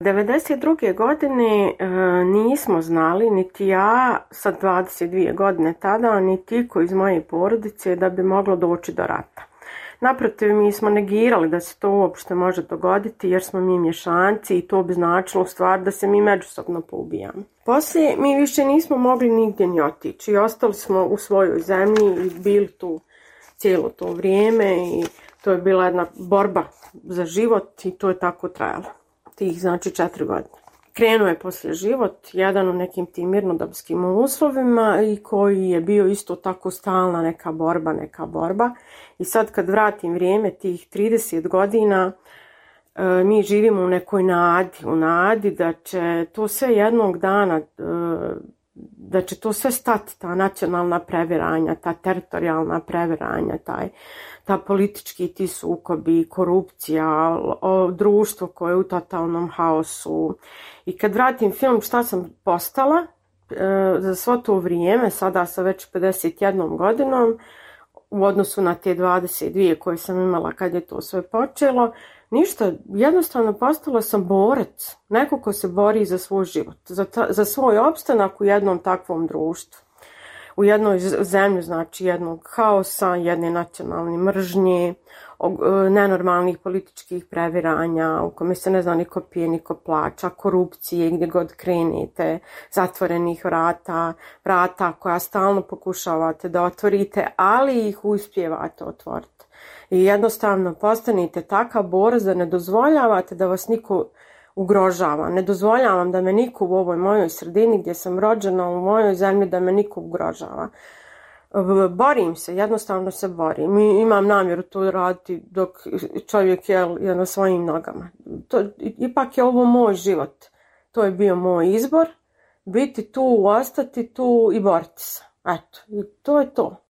1992. godine nismo znali, niti ja sa 22 godine tada, niti iko iz moje porodice da bi moglo doći do rata. Naprotiv, mi smo negirali da se to uopšte može dogoditi jer smo mi mješanci i to bi značilo u stvari da se mi međusobno poubijamo. Poslije mi više nismo mogli nigdje ni otići i ostali smo u svojoj zemlji i bili tu cijelo to vrijeme i to je bila jedna borba za život i to je tako trajalo. Tih znači 4 godine. Krenuo je poslije život, jedan u nekim tim mirnodopskim uslovima i koji je bio isto tako stalna neka borba. I sad kad vratim vrijeme tih 30 godina, mi živimo u nekoj nadi da će to sve jednog dana, da će to sve stati, ta nacionalna previranja, ta teritorijalna previranja, ta politički ti sukobi, korupcija, društvo koje je u totalnom haosu. I kad vratim film šta sam postala za svo to vrijeme, sada sa već 51 godinom, u odnosu na te 22 koje sam imala kad je to sve počelo, ništa, jednostavno postala sam borac, neko ko se bori za svoj život, za svoj opstanak u jednom takvom društvu. U jednoj zemlji, znači jednog haosa, jedne nacionalne mržnje, nenormalnih političkih previranja, u kome se ne zna niko pije, niko plaća, korupcije gdje god krenete, zatvorenih vrata koja stalno pokušavate da otvorite, ali ih uspijevate otvoriti. I jednostavno postanete takav borac da ne dozvoljavate da vas niko ugrožava. Ne dozvoljavam da me niko u ovoj mojoj sredini gdje sam rođena, u mojoj zemlji, da me niko ugrožava. Borim se, jednostavno se borim. Imam namjeru to raditi dok čovjek je na svojim nogama. Ipak je ovo moj život. To je bio moj izbor. Biti tu, ostati tu i boriti se. Eto, i to je to.